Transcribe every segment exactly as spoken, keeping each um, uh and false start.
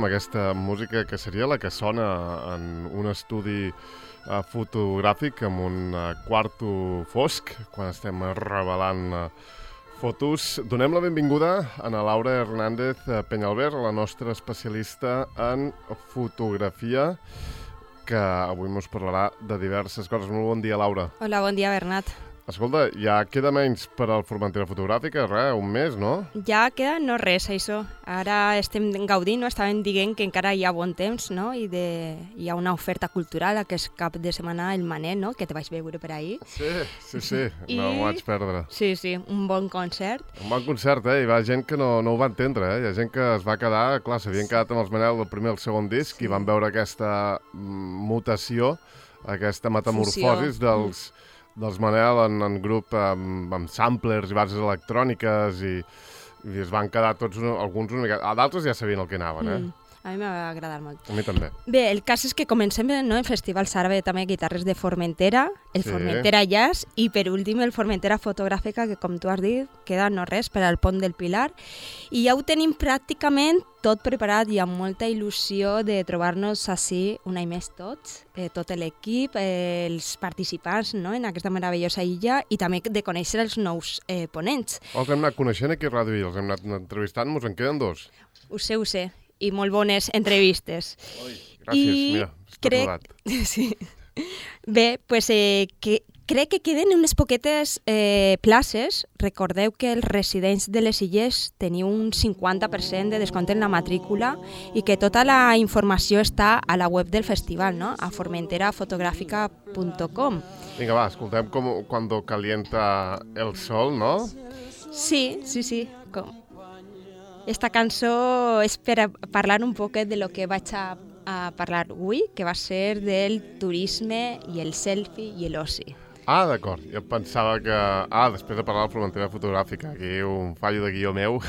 Amb aquesta música que seria la que sona en un estudi uh, fotogràfic amb un uh, quarto fosc, quan estem revelant uh, fotos. Donem la benvinguda a la Laura Hernández Peñalver, la nostra especialista en fotografia, que avui ens parlarà de diverses coses. Molt bon dia, Laura. Hola, bon dia, Bernat. Escolta, ja queda menys per al Formentera Fotogràfica, res, un mes, no? Ja queda no res, això. Ara estem gaudint, no? Estàvem dient que encara hi ha bon temps, no? I de... hi ha una oferta cultural aquest cap de setmana, el Manel, no? Que te vaig veure per ahir. Sí, sí, sí, I... no ho vaig perdre. Sí, sí, un bon concert. Un bon concert, eh? Hi va gent que no, no ho va entendre, eh? Hi ha gent que es va quedar, clar, s'havien quedat amb els Manel del primer i el segon disc sí. I van veure aquesta mutació, aquesta metamorfosis Fusió. dels... Mm. dels Manel en, en grup amb, amb samplers i bases electròniques i, i es van quedar tots, alguns una mica... D'altres ja sabien el que anaven, eh? Mm. A mi m'ha agradat molt. A mi també. Bé, el cas és que comencem no, en festivals àrabe també guitarres de Formentera, el sí. Formentera Jazz i per últim el Formentera Fotogràfica, que com tu has dit, queda no res per al Pont del Pilar. I ja ho tenim pràcticament tot preparat i amb molta il·lusió de trobar-nos així un any més tots, eh, tot l'equip, eh, els participants no, en aquesta meravellosa illa i també de conèixer els nous eh, ponents. Els hem anat coneixent aquí a Ràdio I, els hem anat entrevistant, ens en queden dos. Ho sé, ho sé. I molt bones entrevistes. Ui, gràcies, I mira, està crec... sí. Bé, pues, eh, que, crec que queden unes poquetes eh, places. Recordeu que els residents de les illes teniu un cinquanta per cent de descompte en la matrícula i que tota la informació està a la web del festival, no? A formentera fotogràfica punt com. Vinga, va, escoltem com, Cuando calienta el sol, no? Sí, sí, sí. Com... Esta cançó és per parlar un poquet de lo que vaig a, a parlar avui, que va ser del turisme i el selfie i l'oci. Ah, d'acord. Jo pensava que... Ah, després de parlar de la Formentera Fotogràfica, aquí un fallo de guió meu.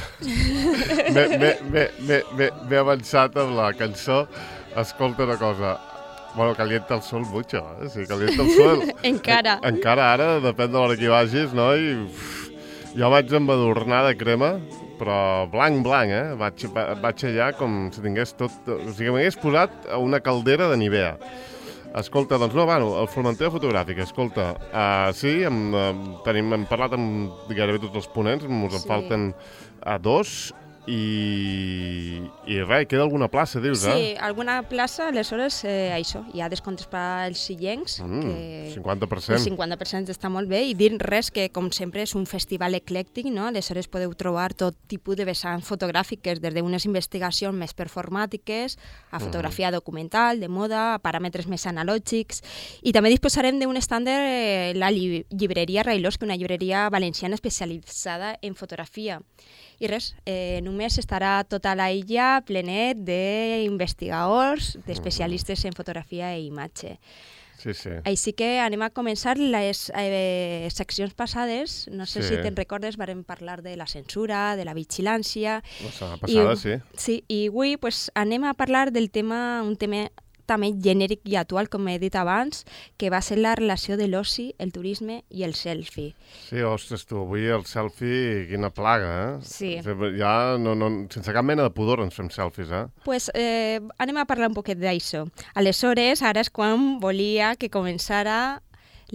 M'he avançat amb la cançó. Escolta una cosa. Bueno, calienta el sol mucho, eh? Sí, calienta el sol. Encara. En, encara ara, depèn de l'hora que hi vagis, no? I uf, jo vaig embadurnar de crema, però blanc, blanc, eh? Vaig, vaig allà com si tingués tot... O sigui, m'hagués posat a una caldera de Nivea. Escolta, doncs no, bueno, el Formentera Fotogràfica, escolta, uh, sí, hem, uh, tenim, hem parlat amb gairebé tots els ponents, ens en sí. falten uh, dos, i, i res, queda alguna plaça, dius, sí, eh? Sí, alguna plaça, aleshores, eh, això, hi ha descomptes per als illencs. Mm, que cinquanta per cent. El cinquanta per cent està molt bé, i dir res que, com sempre, és un festival eclèctic, no? Aleshores podeu trobar tot tipus de vessants fotogràfiques, des d'unes investigacions més performàtiques, a fotografia mm. documental, de moda, a paràmetres més analògics, i també disposarem d'un estàndard, eh, la lli llibreria Railós, que és una llibreria valenciana especialitzada en fotografia. I res, eh, només estarà tota la illa plenet d'investigadors, d'especialistes en fotografia i imatge. Sí, sí. Així que anem a començar les eh, seccions passades. No sé sí. si te'n recordes, vam parlar de la censura, de la vigilància. La setmana passada, I, sí. Sí, i avui pues, anem a parlar del tema, un tema també genèric i actual, com he dit abans, que va ser la relació de l'oci, el turisme i el selfie. Sí, ostres, tu, avui el selfie, quina plaga, eh? Sí. Ja, no, no, sense cap mena de pudor ens fem selfies, eh? Pues eh, anem a parlar un poquet d'això. Aleshores, ara és quan volia que començara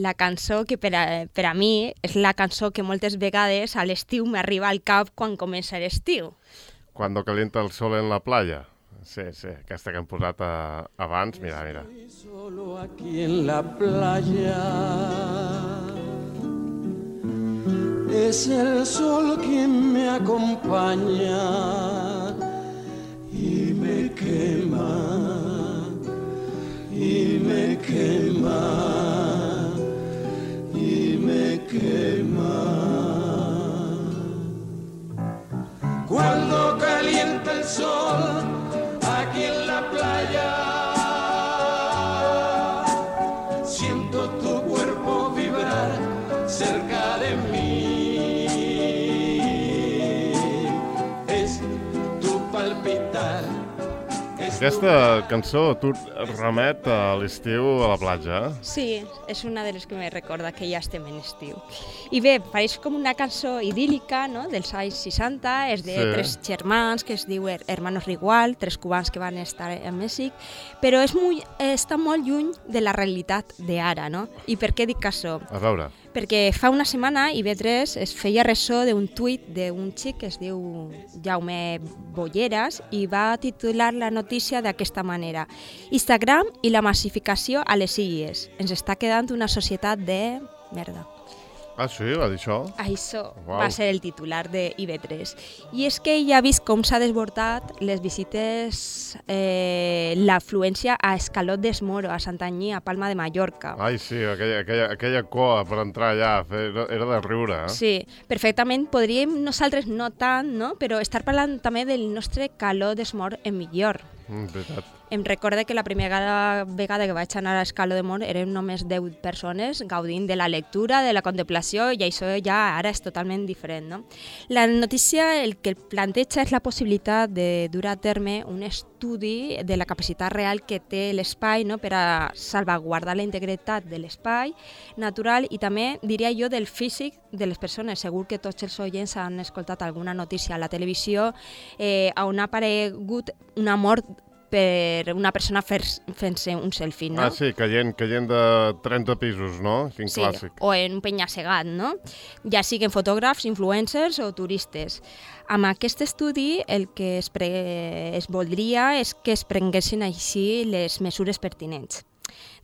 la cançó que per a, per a mi és la cançó que moltes vegades a l'estiu m'arriba al cap quan comença l'estiu. Cuando calienta el sol en la playa. Sí, sí, aquesta que hem posat a, abans, mira, mira. Solo aquí en la playa es el sol quien me acompaña y me quema, y me quema, y me quema. Cuando calienta el sol aquí en la playa, siento tu cuerpo vibrar cerca de mí, es tu palpitar, es Aquesta cançó tu remet a l'estiu a la platja, eh? Sí, és una de les que me recorda que ja estem en estiu. I bé, pareix com una cançó idíl·lica, no?, dels anys seixanta, és de Sí. tres germans que es diu Her- Hermanos Rigual, tres cubans que van estar a Mèxic, però és muy, està molt lluny de la realitat d'ara, no? I per què dic això? A veure, Perquè fa una setmana I B tres es feia ressò d'un tuit d'un xic que es diu Jaume Bolleras i va titular la notícia d'aquesta manera: Instagram i la massificació a les Illes. Ens està quedant una societat de... merda. ah sí, va dir això? Això Uau. va ser el titular de I B tres. I és que ell ha vist com s'ha desbordat les visites, eh, l'afluència a Escalot des Moro, a Santanyí, a Palma de Mallorca. Ai, sí, aquella, aquella, aquella coa per entrar allà, fer, era de riure, eh? Sí, perfectament. Podríem nosaltres no tant, no? Però estar parlant també del nostre calor d'esmort en millor. Mm, veritat. Em recorda que la primera vegada que vaig anar a Escaló de Mont eren només deu persones gaudint de la lectura, de la contemplació, i això ja ara és totalment diferent, no? La notícia el que planteja és la possibilitat de dur a terme un estudi de la capacitat real que té l'espai, no?, per a salvaguardar la integritat de l'espai natural i també, diria jo, del físic de les persones. Segur que tots els oients han escoltat alguna notícia a la televisió eh, on ha aparegut una mort per una persona fent-se un selfie, no? Ah, sí, caient, caient de trenta pisos, no? Quin Sí, clàssic. o en un penya-segat, no? Ja siguin fotògrafs, influencers o turistes. Amb aquest estudi el que es, pre... es voldria és que es prenguessin així les mesures pertinents.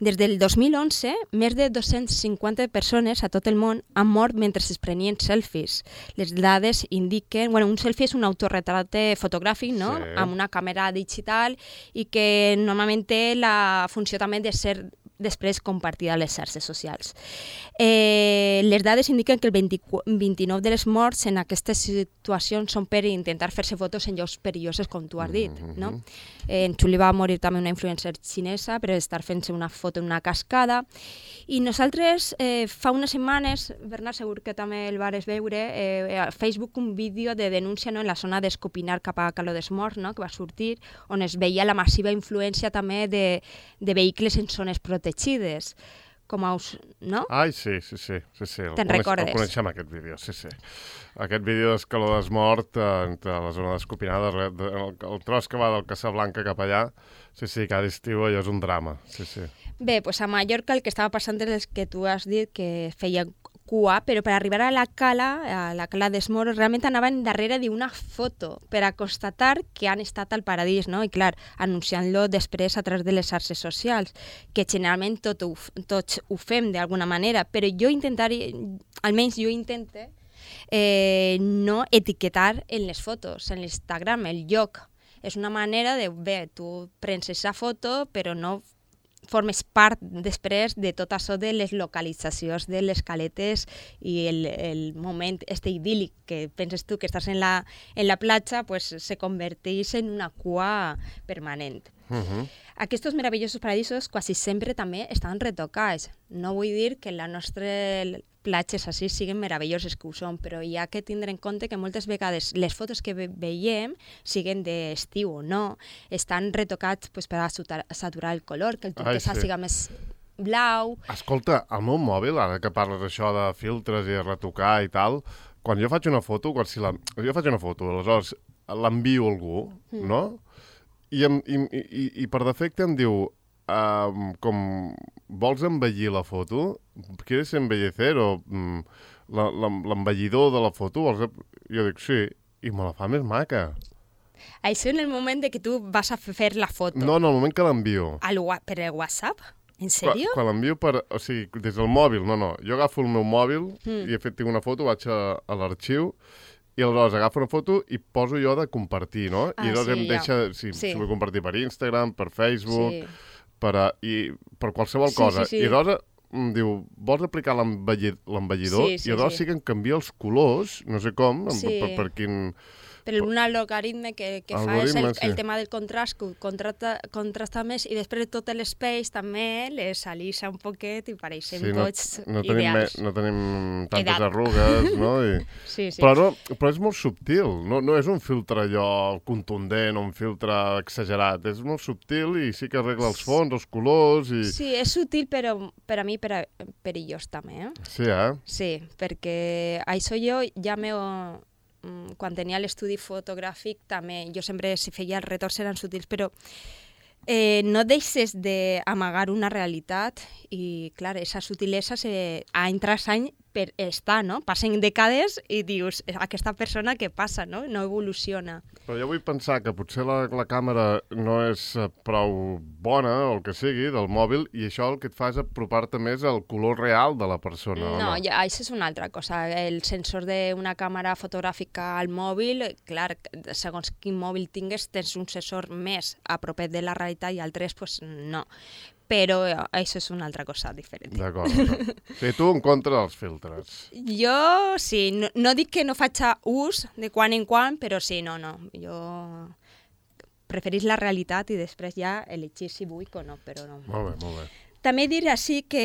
Des del dos mil onze, més de dos-cents cinquanta persones a tot el món han mort mentre es prenien selfies. Les dades indiquen... Bueno, un selfie és un autorretrate fotogràfic, no?, Sí. amb una càmera digital i que normalment té la funció també de ser després compartida a les xarxes socials. Eh, les dades indiquen que el vint-i-nou de les morts en aquestes situacions són per intentar fer-se fotos en llocs perillosos, com tu has dit, no? Eh, en Xuli va morir també una influencer xinesa per estar fent-se una foto en una cascada. I nosaltres, eh, fa unes setmanes, Bernat, segur que també el vares veure, eh, a Facebook un vídeo de denúncia, no?, en la zona d'Escopinar cap a Caló des Morts, no?, que va sortir, on es veia la massiva influència també de, de vehicles en zones protegides, com a us... no? Ai, sí, sí, sí. sí, sí. El Te'n coneix- recordes? El coneixem, aquest vídeo, sí, sí. Aquest vídeo d'Escaló d'Esmort, eh, entre la zona d'Escopinada, el, el, el tros que va del Casablanca cap allà, sí, sí, cada estiu allò és un drama, sí, sí. Bé, doncs a Mallorca el que estava passant és que tu has dit que feia cua, però per arribar a la cala, a la cala d'Esmoro, realment anaven darrere d'una foto per a constatar que han estat al paradís, no? I clar, anunciant-lo després a través de les xarxes socials, que generalment tot ho, tots ho fem d'alguna manera, però jo intentaré, almenys jo intente, eh, no etiquetar en les fotos, en l'Instagram, el lloc. És una manera de, bé, tu prens aquesta foto, però no formes part després de tot això de les localitzacions de les caletes i el, el moment este idíl·lic que penses tu que estàs en la, en la platja, pues, se converteix en una cua permanent. Uh -huh. Aquests meravellosos paradisos quasi sempre també estan retocats. No vull dir que la nostra platges així siguin meravelloses, que ho són, però hi ha que tindre en compte que moltes vegades les fotos que ve veiem, siguen d'estiu o no, estan retocats pues, per a saturar, saturar el color, que el turquesa sí. siga més blau. Escolta, el meu mòbil, ara que parles això de filtres i de retocar i tal, quan jo faig una foto, quan si la... jo faig una foto, aleshores l'envio a algú, mm. no? I, em, i, i, I per defecte em diu, um, com, vols embellir la foto? ¿Quieres embellecer? O um, l'embellidor de la foto? Vols... Jo dic, sí, i me la fa més maca. Això en el moment de que tu vas a fer la foto. No, en el moment que l'envio. Al, per el WhatsApp? En sèrio? Quan, quan l'envio per... O sigui, des del mòbil, no, no. Jo agafo el meu mòbil mm. i he fet tinc una foto, vaig a, a l'arxiu i aleshores agafo una foto i poso jo de compartir, no? Ah, I llavors sí, em deixa, ja. si, sí. si vull compartir per Instagram, per Facebook, sí. per, a, i, per qualsevol sí, cosa. Sí, sí. I aleshores em diu, vols aplicar l'embellidor? Sí, sí, I aleshores sí. sí que em canvia els colors, no sé com, sí. per, per, per quin... Però un algoritme que, que fa és el, Algoritme, sí. el tema del contrast, que ho contrasta, contrasta més, i després tot l'space també les alisa un poquet i pareixen Sí, no, tots no, tenim, me, ideals. no tenim tantes Edat. arrugues, no? I... Sí, sí. Però, no, però és molt subtil, no, no és un filtre allò contundent o un filtre exagerat, és molt subtil i sí que arregla els fons, els colors i... Sí, és sutil, però per a mi per a, perillós també, eh? Sí, eh? Sí, perquè això jo ja m'ho... Quan tenia l'estudi fotogràfic també, jo sempre, si feia els retorns eren sutils, però eh, no deixes d'amagar una realitat i, clar, aquesta sutilesa se, any tras any per estar, no? Passen dècades i dius, aquesta persona què passa, no? No evoluciona. Però jo vull pensar que potser la, la càmera no és eh, prou bona, o el que sigui, del mòbil, i això el que et fa és apropar-te més al color real de la persona, No, o no? ja, això és una altra cosa. El sensor d'una càmera fotogràfica al mòbil, clar, segons quin mòbil tingues, tens un sensor més a propet de la realitat i altres, pues, no. Però això és una altra cosa diferent. D'acord, d'acord. Sí, tu en contra dels filtres. Jo, sí, no, no dic que no faig ús de quan en quan, però sí, no, no. Jo preferís la realitat i després ja elegir si vull o no, però no. Molt bé, molt bé. També dir així que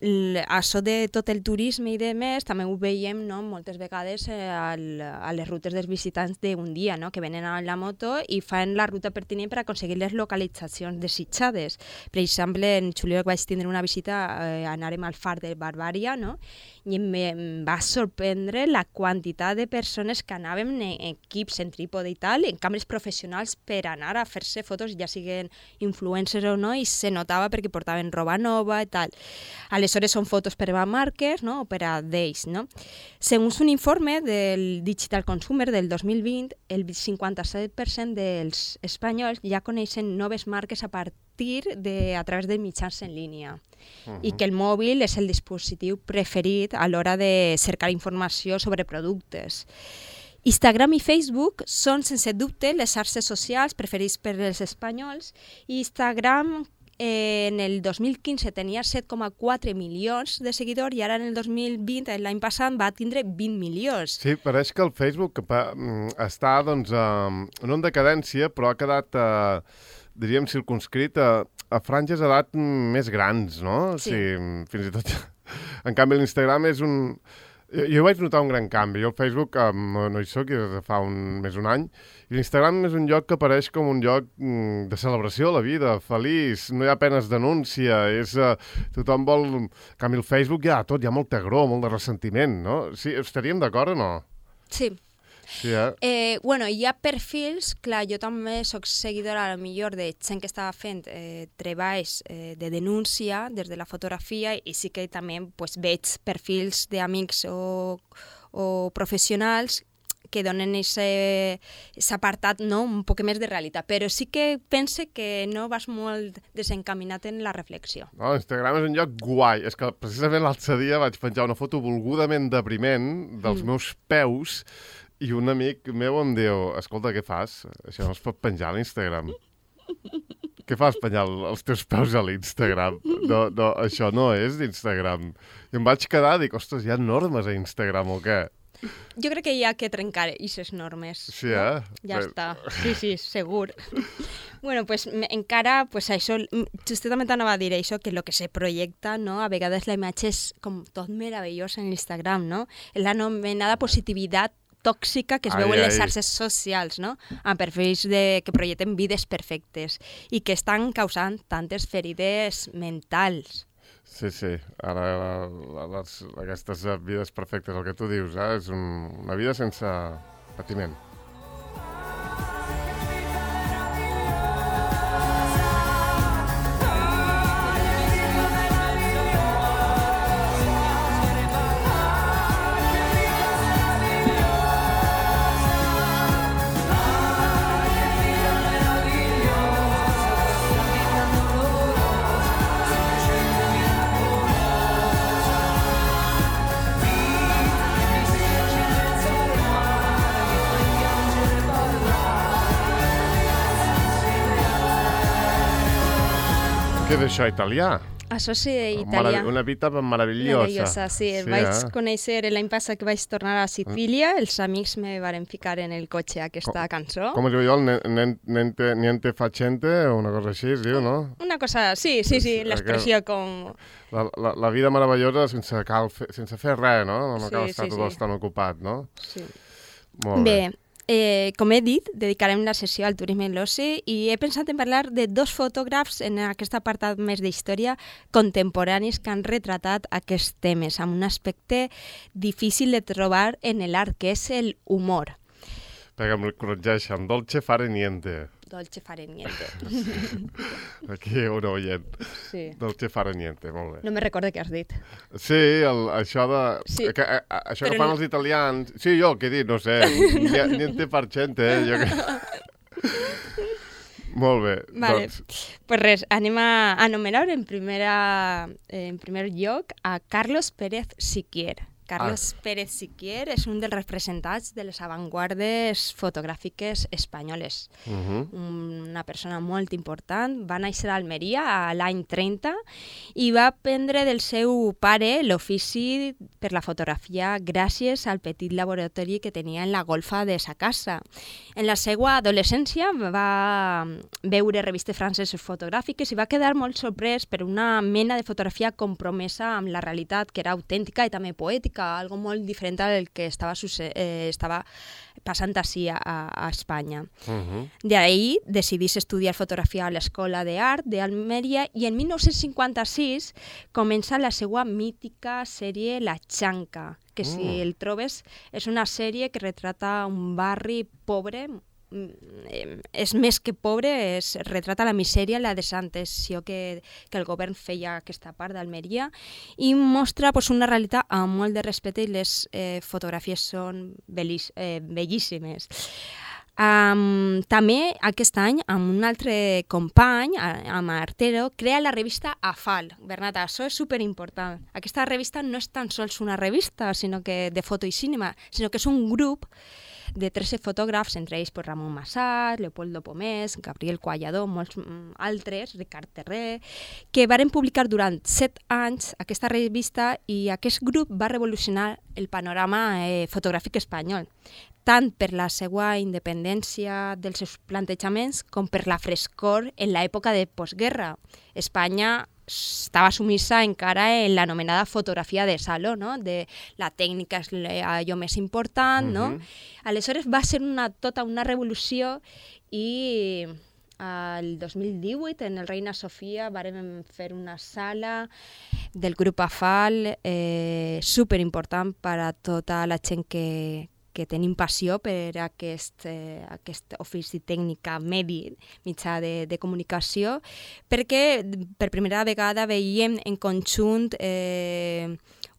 l- això de tot el turisme i de més, també ho veiem, no, moltes vegades eh, al, a les rutes dels visitants d'un dia, no, que venen amb la moto i fan la ruta pertinent per aconseguir les localitzacions desitjades. Per exemple, en juliol vaig tindre una visita, eh, anàrem al far de Barbària, no, i em, em va sorprendre la quantitat de persones que anàvem en equips, en trípode i tal, en càmeres professionals per anar a fer-se fotos, ja siguen influencers o no, i se notava perquè portaven roba nova i tal. Aleshores són fotos per a marques, no? O per a d'ells, no? Segons un informe del Digital Consumer del dos mil vint, el cinquanta-set per cent dels espanyols ja coneixen noves marques a partir de, a través de mitjans en línia. Uh-huh. I que el mòbil és el dispositiu preferit a l'hora de cercar informació sobre productes. Instagram i Facebook són, sense dubte, les xarxes socials preferits per als espanyols, i Instagram Eh, en el dos mil quinze tenia set coma quatre milions de seguidors i ara en el dos mil vint, l'any passat, va tindre vint milions. Sí, pareix que el Facebook que pa, mm, està, doncs, eh, no en decadència, però ha quedat, eh, diríem, circunscrit a, a franges d'edat més grans, no? Sí. Sí, fins i tot... En canvi, l'Instagram és un... Jo, jo vaig notar un gran canvi. Jo al Facebook eh, no, no hi soc, des de fa un, més d'un any, i l'Instagram és un lloc que apareix com un lloc mm, de celebració a la vida, feliç, no hi ha penes denúncia, és, eh, tothom vol... En canvi, el Facebook hi ha tot, hi ha molta agror, molt de ressentiment, no? Sí, estaríem d'acord o no? Sí. Sí, eh? Eh, bueno, hi ha perfils, clar, jo també sóc seguidora a lo millor de gent que està fent eh, treballs eh, de denúncia des de la fotografia, i sí que també pues, veig perfils d'amics o, o professionals que donen aquest apartat, no, un poc més de realitat, però sí que pense que no vas molt desencaminat en la reflexió. No, Instagram és un lloc guai. És que precisament l'altre dia vaig penjar una foto volgudament depriment dels mm. meus peus, i un amic meu em diu, escolta, què fas? Això no es pot penjar a l'Instagram. Què fas, penjar els teus peus a l'Instagram? No, no, això no és d'Instagram. I em vaig quedar, dic, ostres, hi ha normes a Instagram o què? Jo crec que hi ha que trencar aquestes normes. Sí, eh? No? Ja Bé. està. Sí, sí, segur. Bueno, pues encara, pues això, justament anava a dir això, que el que se projecta, no? A vegades la imatge és com tot meravellós en l'Instagram, no? La anomenada positivitat tòxica que es ai, veu en les ai. xarxes socials, no? Amb perfils de, que projecten vides perfectes i que estan causant tantes ferides mentals. Sí, sí. Ara, la, les, aquestes vides perfectes, el que tu dius, eh? És un, una vida sense patiment. Què és això, italià? Això sí, Marav italià. una vita meravellosa. Meravellosa, sí. Sí, vaig eh? conèixer l'any passat que vaig tornar a Sicília, els amics me varen ficar en el cotxe aquesta cançó. Com es diu allò? El ne- Niente, niente facente o una cosa així, es diu, no? Una cosa, sí, sí, sí, l'expressió com... La, la, la vida meravellosa sense, cal fer, sense fer res, no? No Sí, cal estar sí, tot sí. l'estat ocupat, no? Sí. Molt bé. Bé, eh, com he dit, dedicarem la sessió al turisme i l'oci i he pensat en parlar de dos fotògrafs en aquest apartat més d'història contemporanis que han retratat aquests temes amb un aspecte difícil de trobar en l'art, que és el humor. Perquè em corregeixen, dolce fare niente. Dolce fare niente. Aquí un oient. Sí. Dolce fare niente, molt bé. No me recordo què has dit. Sí, el, això de... Sí. Que, a, a, això Però que fan no- els italians... Sí, jo, què he dit? No sé. Ni- Niente farcente, eh? Jo que... Molt bé. Vale. Doncs, Pues res, anem a anomenar en, primera, en primer lloc a Carlos Pérez Siquier. Carlos ah. Pérez Siquier és un dels representants de les avantguardes fotogràfiques espanyoles. uh -huh. Una persona molt important. Va néixer a Almeria a l'any trenta i va aprendre del seu pare l'ofici per la fotografia gràcies al petit laboratori que tenia en la golfa de sa casa. En la seva adolescència va veure revistes franceses fotogràfiques i va quedar molt sorprès per una mena de fotografia compromesa amb la realitat, que era autèntica i també poètica, algo molt diferent del que estava, eh, estava passant així a, a Espanya. uh -huh. D'ahir decidís estudiar fotografia a l'Escola d'Art d'Almeria i en mil nou-cents cinquanta-sis comença la seva mítica sèrie La Chanca, que si Mm. el trobes és una sèrie que retrata un barri pobre, és més que pobre, es retrata la misèria, la desatenció que, que el govern feia a aquesta part d'Almeria i mostra pues, una realitat amb molt de respecte i les eh, fotografies són bellís, eh, bellíssimes. Um, també aquest any, amb un altre company, amb Artero, crea la revista Afal. Bernat, això és superimportant. Aquesta revista no és tan sols una revista sinó que de foto i cinema, sinó que és un grup de tretze fotògrafs, entre ells pues, Ramon Massat, Leopoldo Pomés, Gabriel Coallador, molts mm, altres, Ricard Terré, que varen publicar durant set anys aquesta revista i aquest grup va revolucionar el panorama eh, fotogràfic espanyol, tant per la seva independència dels seus plantejaments com per la frescor en l'època de postguerra. Espanya estava sumissa encara en l'anomenada fotografia de saló, no? De la tècnica és allò més important, uh-huh. no? Aleshores va ser una, tota una revolució i el dos mil divuit en el Reina Sofia vàrem fer una sala del grup Afal eh, superimportant per a tota la gent que, que tenim passió per aquest, eh, aquest ofici tècnica medi, mitjà de, de comunicació, perquè per primera vegada veiem en conjunt eh,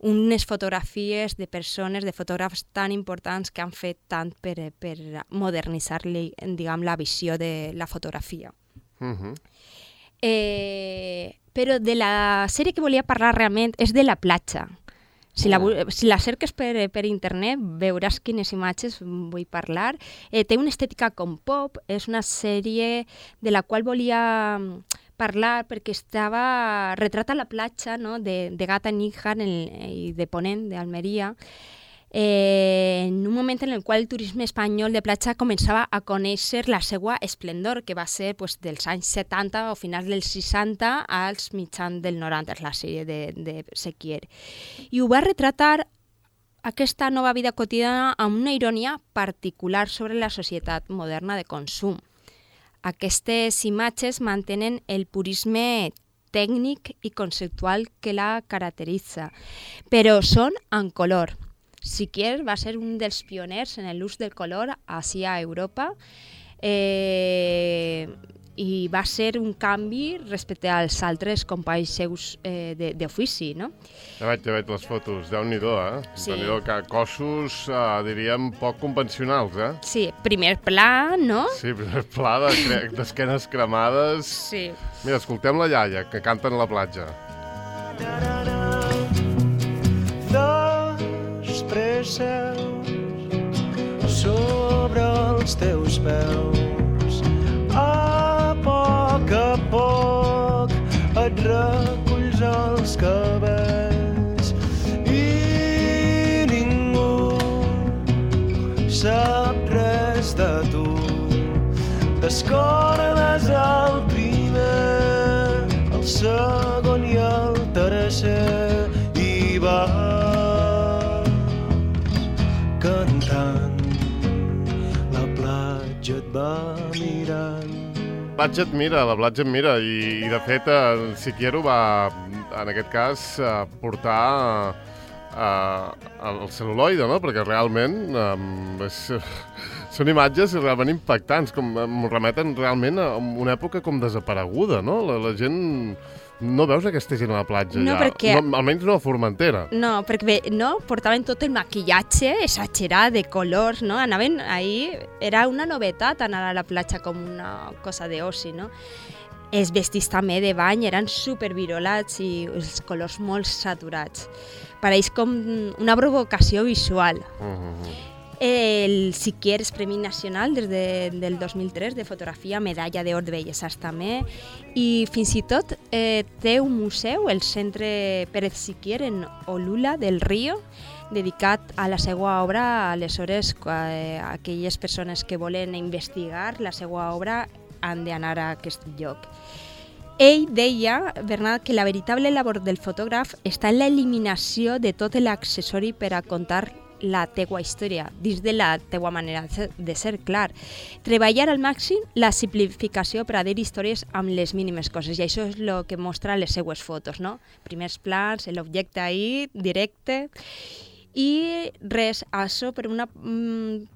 unes fotografies de persones, de fotògrafs tan importants que han fet tant per, per modernitzar-li, diguem, la visió de la fotografia. Uh-huh. eh, però de la sèrie que volia parlar realment és de la platja. Si la, si la cerques per, per internet veuràs quines imatges vull parlar. Eh, té una estètica com pop, és una sèrie de la qual volia parlar perquè estava retrata la platja, no? de, de Gata Níjar i de Ponent, d'Almeria, eh, en un moment en el qual el turisme espanyol de platja començava a conèixer la seva esplendor, que va ser pues, dels anys setanta o finals dels seixanta als mitjans del noranta, la sèrie de, de Siquier. I ho va retratar aquesta nova vida quotidiana amb una ironia particular sobre la societat moderna de consum. Aquestes imatges mantenen el purisme tècnic i conceptual que la caracteritza, però són en color. Siquier va ser un dels pioners en l'ús del color així a Europa eh, i va ser un canvi respecte als altres companys seus eh, d'ofici, no? Ja veig, ja veig les fotos, Déu-n'hi-do, eh? Sí. Déu-n'hi-do, que cossos, eh, diríem, poc convencionals, eh? Sí, primer pla, no? Sí, primer pla de- d'esquenes cremades. Sí. Mira, escoltem la iaia, que canten a la platja. Dos presseus sobre els teus peus. A poc a poc et reculls va mirant. Platja et mira, la platja et mira, i, i de fet en Siquiero va, en aquest cas, portar uh, el cel·luloide, no? Perquè realment um, és, són imatges realment impactants, com em remeten realment a una època com desapareguda, no? La, la gent... No veus aquesta gent a la platja no, ja? Perquè... No, almenys no a Formentera. No, perquè no, portaven tot el maquillatge exagerat de colors, no? Anaven ahí, era una novetat anar a la platja com una cosa d'oci, no? Els vestits també de bany eren supervirolats i els colors molt saturats. Pareix com una provocació visual. Uh-huh. El Siquier és Premi Nacional des de, del dos mil tres de fotografia, medalla d'or de bellesa també, i fins i tot eh, té un museu, el Centre Pérez Siquier en Olula del Río, dedicat a la seva obra. Aleshores, eh, aquelles persones que volen investigar la seva obra han d'anar a aquest lloc. Ell deia, Bernat, que la veritable labor del fotògraf està en l'eliminació de tot l'accessori per a contar la teua història, dins de la teua manera de ser, clar. Treballar al màxim la simplificació per a dir històries amb les mínimes coses, i això és el que mostra les seues fotos, no? Primers plans, l'objecte ahí, directe. I res, això per una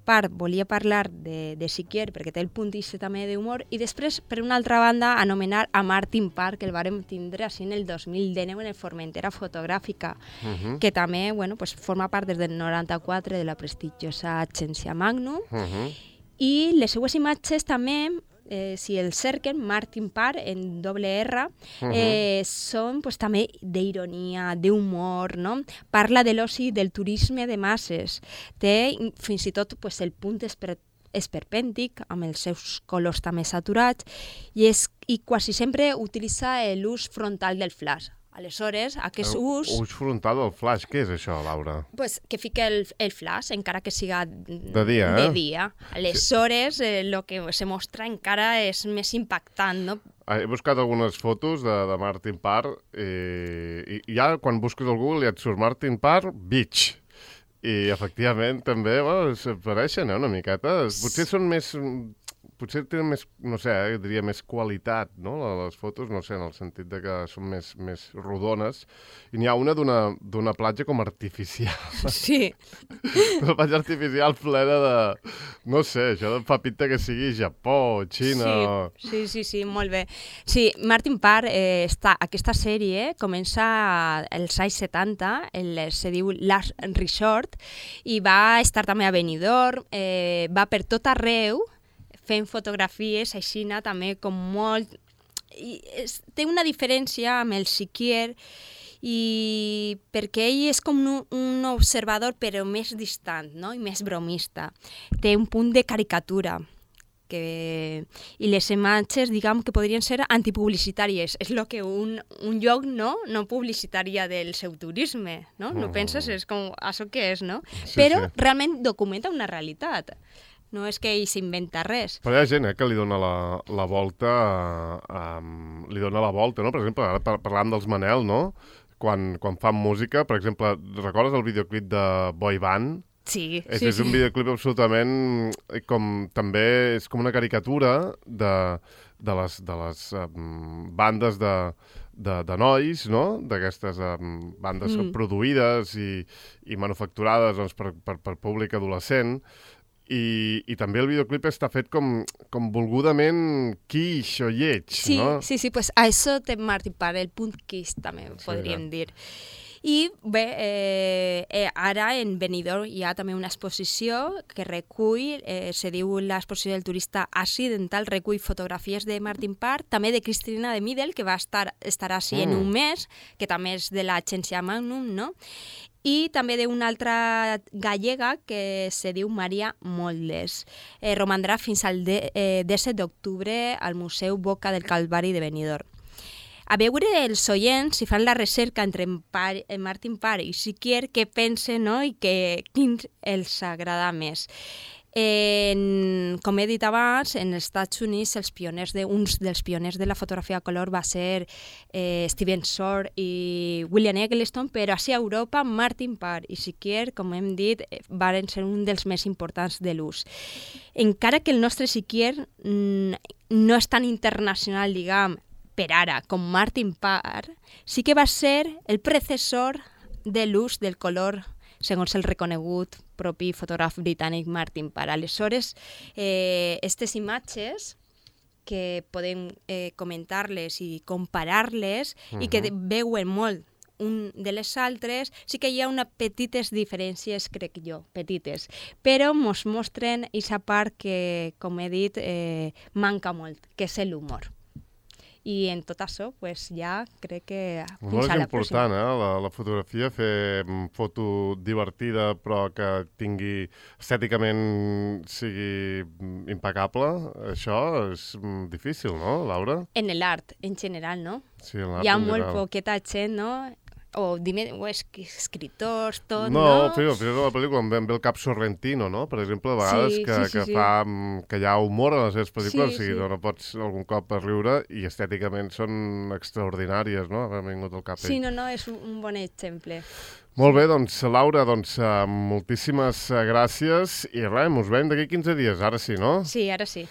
part volia parlar de, de Siquier, perquè té el punt iste també d'humor, i després, per una altra banda, anomenar a Martin Parr, que el vàrem tindre així en el dos mil dinou en el Formentera Fotogràfica, uh-huh. que també bueno, pues, forma part des del noranta-quatre de la prestigiosa Agència Magnum, uh-huh. i les seues imatges també, eh, si el cerquen, Martin Parr, en doble R, uh-huh. eh, són pues, també d'ironia, d'humor, no? Parla de l'oci, del turisme de masses. Té fins i tot pues, el punt esper esperpèntic, amb els seus colors també saturats, i, és, i quasi sempre utilitza l'ús frontal del flash. Aleshores, aquest ús... Ús frontal del flash, què és això, Laura? Pues que fica el, el flash, encara que siga de dia. De dia. Aleshores, el eh, que se mostra encara és més impactant, no? He buscat algunes fotos de, de Martin Parr i, i ja quan busques al Google ja et surt Martin Parr Beach. I efectivament també bueno, s'apareixen eh, una miqueta. Potser són més... Potser tenen més, no sé, eh, diria més qualitat, no?, les fotos, no sé, en el sentit de que són més, més rodones. I n'hi ha una d'una platja com artificial. Sí. Una platja artificial plena de... No sé, això fa pinta que sigui Japó, Xina... Sí, sí, sí, sí, molt bé. Sí, Martin Parr, eh, està, aquesta sèrie comença als anys setanta, el, se diu Last Resort, i va estar també a Benidorm, eh, va per tot arreu, fent fotografies aixina també com molt... I és, té una diferència amb el Siquier i perquè ell és com un, un observador però més distant, no? I més bromista. Té un punt de caricatura que... i les imatges, diguem, que podrien ser antipublicitàries. És el que un, un lloc no, no publicitaria del seu turisme, no? No penses? És com això que és, no? Sí, però sí. realment documenta una realitat. No és que ell s'inventa res. Però hi ha gent eh, que li dona la, la volta, um, li dona la volta, no? Per exemple, ara par parlàvem dels Manel, no? Quan, quan fan música, per exemple, recordes el videoclip de Boy Band? Sí, és, sí, és un sí. videoclip absolutament com també és com una caricatura de, de les, de les um, bandes de, de, de nois, no? D'aquestes um, bandes mm. produïdes i, i manufacturades doncs, per, per, per públic adolescent. I, i també el videoclip està fet com, com volgudament quiix o lleig, sí, no? Sí, sí, pues a això té Martin Parr, el punt quiix també sí, podríem ja. dir. I bé, eh, eh, ara en Benidorm hi ha també una exposició que recull, eh, se diu l'exposició del turista accidental, recull fotografies de Martin Parr, també de Cristina de Middel, que va estar, estarà així mm. en un mes, que també és de l'Agència Magnum, no? I també d'una altra gallega que se diu Maria Moldes. Eh, romandrà fins al de, eh, disset d'octubre al Museu Boca del Calvari de Benidorm. A veure els oients, si fan la recerca entre en Par, en Martin Parr i Siquier, què pensen, no? I que, quin els agrada més. En, com he dit abans, en els Estats Units els pioners de, uns dels pioners de la fotografia a color va ser eh, Steven Shore i William Eggleston, però així a Europa Martin Parr i Siquier, com hem dit, van ser un dels més importants de l'ús. Encara que el nostre Siquier mm, no és tan internacional, diguem, per ara, com Martin Parr, sí que va ser el predecessor de l'ús del color segons el reconegut propi fotògraf britànic Martin Parr. Aleshores, eh, aquestes imatges que podem eh, comentar-les i comparar-les uh-huh. i que veuen molt un de les altres, sí que hi ha unes petites diferències, crec jo, petites, però ens mostren aquesta part que, com he dit, eh, manca molt, que és l'humor. I en tot això, pues, ja crec que fins a la pròxima. És important, eh? La, la fotografia, fer foto divertida però que tingui estèticament sigui impecable, això és difícil, no, Laura? En l'art, en general, no? Sí, en l'art hi ha en molt general. poqueta gent, no? O, dime, o es, escriptors, tot, no? No, però a la pel·lícula em ve, em ve el cap Sorrentino, no? Per exemple, a vegades sí, que, sí, sí, que sí. fa que hi ha humor a les seves pel·lícules, Sí, o sigui, sí. no pots algun cop per riure i estèticament són extraordinàries, no? M'ha vingut al cap Sí, ell. no, no, és un, un bon exemple. Molt bé, doncs, Laura, doncs, uh, moltíssimes uh, gràcies i res, ens veiem d'aquí quinze dies, ara sí, no? Sí, ara sí.